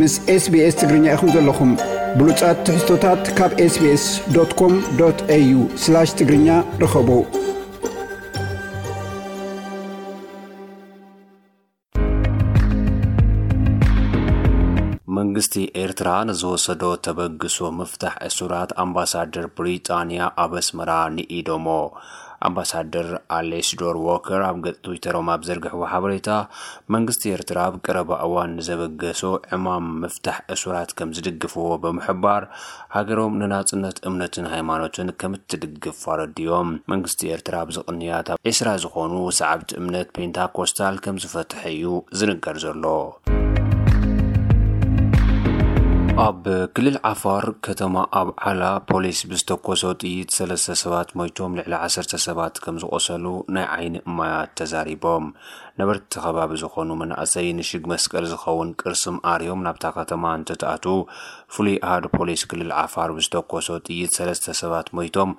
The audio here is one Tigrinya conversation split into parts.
ምስ SBS ትግርኛ ኢኹም ዘለኹም። ብሉጻት ትሕዝቶታት ካብ SBS.com.au/ትግርኛ ርኸቡ። መንግስቲ ኤርትራ ንዝወሰዶ ተበግሶ ምፍታሕ እሱራት ኣምባሳደር ብሪጣንያ ኣብ ኣስመራ ንኢዶሞ። ኣምባሳደር ኣሌስዶር ዎከር ኣብ ገጽ ትዊተሮም ኣብ ዘርግሕዎ ሓበሬታ፣ መንግስቲ ኤርትራ ኣብ ቀረባ እዋን ንዘበገሶ ዕማም ምፍታሕ እሱራት ከም ዝድግፍዎ ብምሕባር፣ ሃገሮም ንናጽነት እምነትን ሃይማኖትን ከም እትድግፍ ኣረዲኦም። መንግስቲ ኤርትራ ኣብዚ ቅንያት ኣብ ዕስራ ዝኾኑ ሰዓብቲ እምነት ፔንታኮስታል ከም ዝፈትሐ እዩ ዝንገር ዘሎ። ኣብ ክልል ዓፋር ከተማ ኣብዓላ ፖሊስ ብዝተኮሶ ጥይት ሰለስተ ሰባት ሞይቶም፣ ልዕሊ ዓሰርተ ሰባት ከም ዝቆሰሉ ናይ ዓይኒ እማያት ተዛሪቦም። ነበርቲ ከባቢ ዝኾኑ መናእሰይ ንሽግ መስቀል ዝኸውን ቅርሲ ኣርዮም ናብታ ከተማ እንትትኣትዉ፣ ፍሉይ ኣሃዱ ፖሊስ ክልል ዓፋር ብዝተኮሶ ጥይት ሰለስተ ሰባት ሞይቶም፣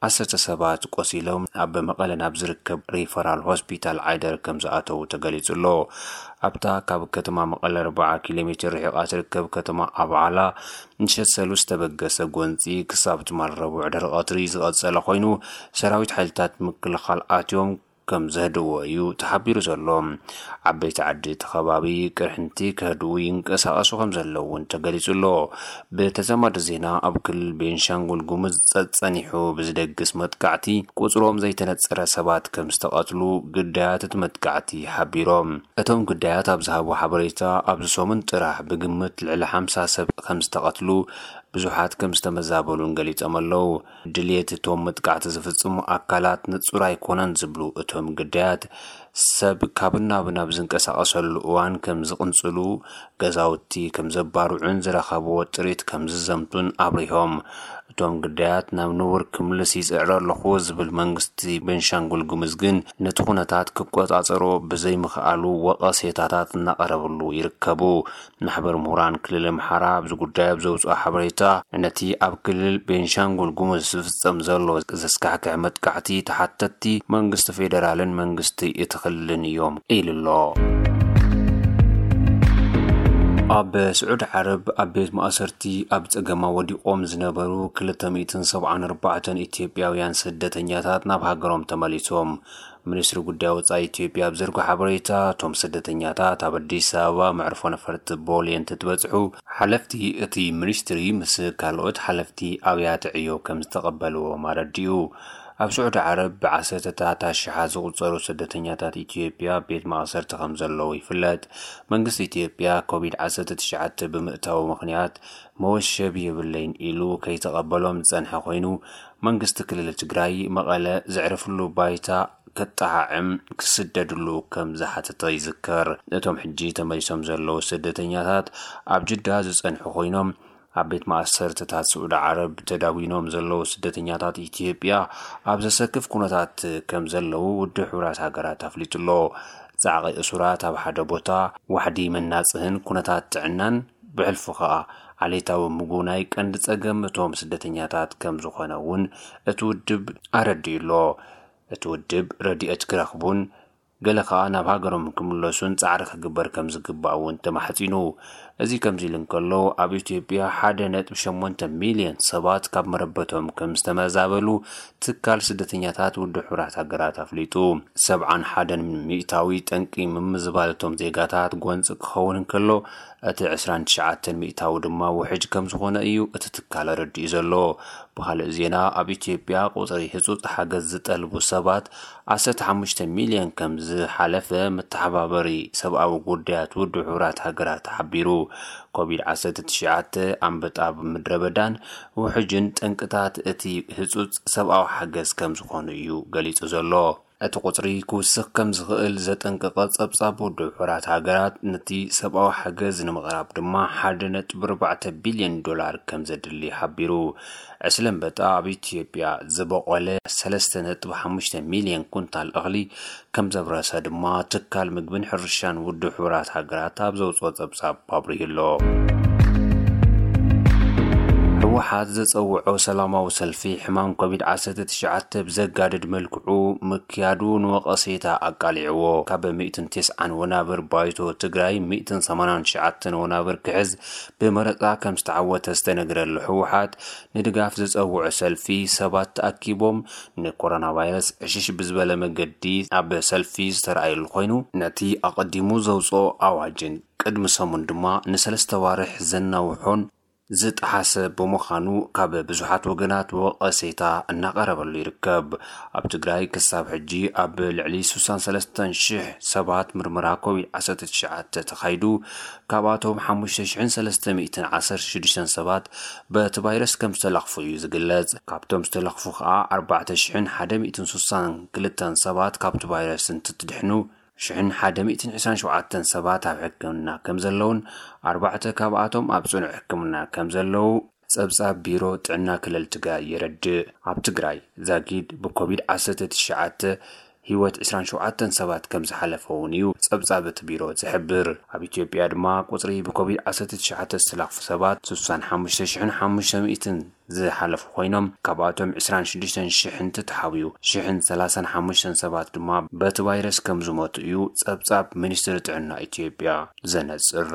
ዓሰርተ ሰባት ቆሲሎም ኣብ መቐለ ናብ ዝርከብ ሪፈራል ሆስፒታል ዓይደር ከም ዝኣተዉ ተገሊጹ ኣሎ። ኣብታ ካብ ከተማ መቐለ ኣርብዓ ኪሎ ሜትር ርሒቓ ትርከብ ከተማ ኣብዓላ፣ ምሸት ሰሉስ ዝተበገሰ ጎንጺ ክሳብ ትማል ረቡዕ ድሕሪ ቀትሪ ዝቐጸለ ኮይኑ፣ ሰራዊት ሓይልታት ምክልኻል ኣትዮም ከም ዘህድዎ እዩ ተሓቢሩ ዘሎ። ዓበይቲ ዓዲ እቲ ከባቢ ቅርሕንቲ ከህድኡ ይንቀሳቐሱ ከም ዘለዉ እውን ተገሊጹ ኣሎ። ብተዛማዲ ዜና፣ ኣብ ክልል ቤንሻንጉል ጉሙዝ ጸጸኒሑ ብዝደግስ መጥቃዕቲ ቁጽሮም ዘይተነጸረ ሰባት ከም ዝተቐትሉ ግዳያት እቲ መጥቃዕቲ ሓቢሮም። እቶም ግዳያት ኣብ ዝሃብዎ ሓበሬታ፣ ኣብዚ ሰሙን ጥራሕ ብግምት ልዕሊ ሓምሳ ሰብ ከም ዝተቐትሉ፣ ብዙሓት ከም ዝተመዛበሉን ገሊጾም ኣለዉ። ድልየት እቶም መጥቃዕቲ ዝፍጽሙ ኣካላት ንጹር ኣይኮነን ዝብሉ እቶም ግዳያት፣ ሰብ ካብን ናብን ኣብ ዝንቀሳቐሰሉ እዋን ከም ዝቕንጽሉ፣ ገዛውቲ ከም ዘባርዑን ዝረኸብዎ ጥሪት ከም ዝዘምቱን ኣብሪሆም። እቶም ግዳያት ናብ ንቡር ክምልስ ይጽዕር ኣለኹ ዝብል መንግስቲ ቤንሻንጉል ጉሙዝ ግን፣ ነቲ ኩነታት ክቆጻጸሮ ብዘይምኽኣሉ ወቐሴታታት እናቐረብሉ ይርከቡ። ማሕበር ምሁራን ክልል ኣምሓራ ኣብዚ ጉዳይ ኣብ ዘውፅኦ ሓበሬታ፣ ነቲ ኣብ ክልል ቤንሻንጉል ጉሙዝ ዝፍጸም ዘሎ ዘስካሕክሕ መጥቃዕቲ ተሓተትቲ መንግስቲ ፌደራልን መንግስቲ እቲ ክልልን እዮም ኢሉ ኣሎ። ኣብ ስዑዲ ዓረብ ኣብ ቤት ማእሰርቲ ኣብ ጸገማ ወዲቖም ዝነበሩ ክልተ ሚእትን ሰብዓን ኣርባዕተን ኢትዮጵያውያን ስደተኛታት ናብ ሃገሮም ተመሊሶም። ሚኒስትሪ ጉዳይ ወጻኢ ኢትዮጵያ ኣብ ዘርግሖ ሓበሬታ፣ እቶም ስደተኛታት ኣብ ኣዲስ ኣበባ መዕርፎ ነፈርቲ ቦሌ እንትትበጽሑ፣ ሓለፍቲ እቲ ሚኒስትሪ ምስ ካልኦት ሓለፍቲ ኣብያተ ዕዮ ከም ዝተቐበልዎም ኣረዲኡ። ኣብ ስዑዲ ዓረብ ብዓሰርተታት ኣሽሓት ዝቑጸሩ ስደተኛታት ኢትዮጵያ ኣብ ቤት ማእሰርቲ ከም ዘለዉ ይፍለጥ። መንግስቲ ኢትዮጵያ ኮቪድ ዓሰርተ ትሽዓተ ብምእታዉ ምኽንያት መወሸቢ የብለይን ኢሉ ከይተቐበሎም ዝጸንሐ ኮይኑ፣ መንግስቲ ክልል ትግራይ መቐለ ዘዕርፍሉ ባይታ ከጠዓዕም ክስደድሉ ከም ዝሓተተ ይዝከር። እቶም ሕጂ ተመሊሶም ዘለዉ ስደተኛታት ኣብ ጅዳ ዝጸንሑ ኮይኖም፣ ኣብ ቤት ማእሰርትታት ስዑዲ ዓረብ ተዳጒኖም ዘለዉ ስደተኛታት ኢትዮጵያ ኣብ ዘሰክፍ ኩነታት ከም ዘለዉ ውድብ ሕቡራት ሃገራት ኣፍሊጡ ኣሎ። ጻዕቒ እሱራት ኣብ ሓደ ቦታ፣ ዋሕዲ መናጽህን ኩነታት ጥዕናን፣ ብሕልፉ ከኣ ዓሌታዊ ምጉናይ ቀንዲ ጸገም እቶም ስደተኛታት ከም ዝኾነ እውን እቲ ውድብ ኣረዲኡ ኣሎ። እቲ ውድብ ረድኤት ክረኽቡን ገለ ከኣ ናብ ሃገሮም ክምለሱን ጻዕሪ ክግበር ከም ዝግባእ እውን ተማሕጺኑ። እዚ ከምዚ ኢሉ እንከሎ፣ ኣብ ኢትዮጵያ ሓደ ነጥቢ ሸሞንተ ሚልዮን ሰባት ካብ መረበቶም ከም ዝተመዛበሉ ትካል ስደተኛታት ውድብ ሕቡራት ሃገራት ኣፍሊጡ። ሰብዓን ሓደን ሚእታዊ ጠንቂ ምምዝባል እቶም ዜጋታት ጎንጺ ክኸውን እንከሎ፣ እቲ ዕስራን ትሽዓተን ሚእታዊ ድማ ውሕጅ ከም ዝኾነ እዩ እቲ ትካል ኣረዲኡ ዘሎ። ብኻልእ ዜና፣ ኣብ ኢትዮጵያ ቁጽሪ ህጹጽ ሓገዝ ዝጠልቡ ሰባት ዓሰርተ ሓሙሽተ ሚልዮን ከም ዝሓለፈ መተሓባበሪ ሰብኣዊ ጉዳያት ውድብ ሕቡራት ሃገራት ሓቢሩ። ኮቪድ ዓሰርተ ትሽዓተ፣ ኣንበጣ፣ ምድረ በዳን ውሕጅን ጠንቅታት እቲ ህጹጽ ሰብኣዊ ሓገዝ ከም ዝኾኑ እዩ ገሊጹ ዘሎ። እቲ ቁጽሪ ክውስኽ ከም ዝኽእል ዘጠንቀቐ ጸብጻብ ውድብ ሕቡራት ሃገራት፣ ነቲ ሰብኣዊ ሓገዝ ንምቕራብ ድማ ሓደ ነጥቢ ኣርባዕተ ቢልዮን ዶላር ከም ዘድሊ ሓቢሩ። ዕስለ ኣንበጣ ኣብ ኢትዮጵያ ዝበቖለ ሰለስተ ነጥቢ ሓሙሽተ ሚልዮን ኩንታል እኽሊ ከም ዘብረሰ ድማ ትካል ምግብን ሕርሻን ውድብ ሕቡራት ሃገራት ኣብ ዘውፅኦ ጸብጻብ ኣብሪሁ ኣሎ። ህወሓት ዘጸውዖ ሰላማዊ ሰልፊ ሕማም ኮቪድ ዓሰርተ ትሽዓተ ብዘጋድድ መልክዑ ምክያዱ ንወቐሴታ ኣቃሊዕዎ። ካብ ሚእትን ተስዓን ወናብር ባይቶ ትግራይ ሚእትን ሰማንያን ትሽዓተን ወናብር ክሕዝ ብመረጻ ከም ዝተዓወተ ዝተነግረሉ ህወሓት፣ ንድጋፍ ዘጸውዖ ሰልፊ ሰባት ተኣኪቦም ንኮሮና ቫይረስ ዕሽሽ ብዝበለ መገዲ ኣብ ሰልፊ ዝተረኣየሉ ኮይኑ፣ ነቲ ኣቐዲሙ ዘውፅኦ ኣዋጅን ቅድሚ ሰሙን ድማ ንሰለስተ ዋርሕ ዘናውሖን ዝጠሓሰ ብምዃኑ፣ ካብ ብዙሓት ወገናት ወቐሴታ እናቐረበሉ ይርከብ። ኣብ ትግራይ ክሳብ ሕጂ ኣብ ልዕሊ ስሳን ሰለስተን ሽሕ ሰባት ምርመራ ኮቪድ ዓሰርተ ትሽዓተ ተኻይዱ፣ ካብኣቶም ሓሙሽተ ሽሕን ሰለስተ ሚእትን ዓሰርተ ሽዱሽተን ሰባት በቲ ቫይረስ ከም ዝተለኽፉ እዩ ዝግለጽ። ካብቶም ዝተለኽፉ ከኣ ኣርባዕተ ሽሕን ሓደ ሚእትን ስሳን ክልተን ሰባት ካብቲ ቫይረስ እንትትድሕኑ፣ ሽሕን ሓደ ሚእትን ዕስራን ሸውዓተን ሰባት ኣብ ሕክምና ከም ዘለውን ኣርባዕተ ካብኣቶም ኣብ ጽኑዕ ሕክምና ከም ዘለዉ ጸብጻብ ቢሮ ጥዕና ክልል ትግራይ የረድእ። ኣብ ትግራይ ዛጊድ ብኮቪድ ዓሰርተ ትሽዓተ ህይወት ዕስራን ሸውዓተን ሰባት ከም ዝሓለፈ እውን እዩ ጸብጻብ እቲ ቢሮ ዝሕብር። ኣብ ኢትዮጵያ ድማ ቁጽሪ ብኮቪድ ዓሰርተ ትሽዓተ ዝተለኽፉ ሰባት ስሳን ሓሙሽተ ሽሕን ሓሙሽተ ሚእትን ዝሓለፉ ኮይኖም፣ ካብኣቶም ዕስራን ሽዱሽተን ሽሕ እንትተሓውዩ፣ ሽሕን ሰላሳን ሓሙሽተን ሰባት ድማ በቲ ቫይረስ ከም ዝሞቱ እዩ ጸብጻብ ሚኒስትሪ ጥዕና ኢትዮጵያ ዘነጽር።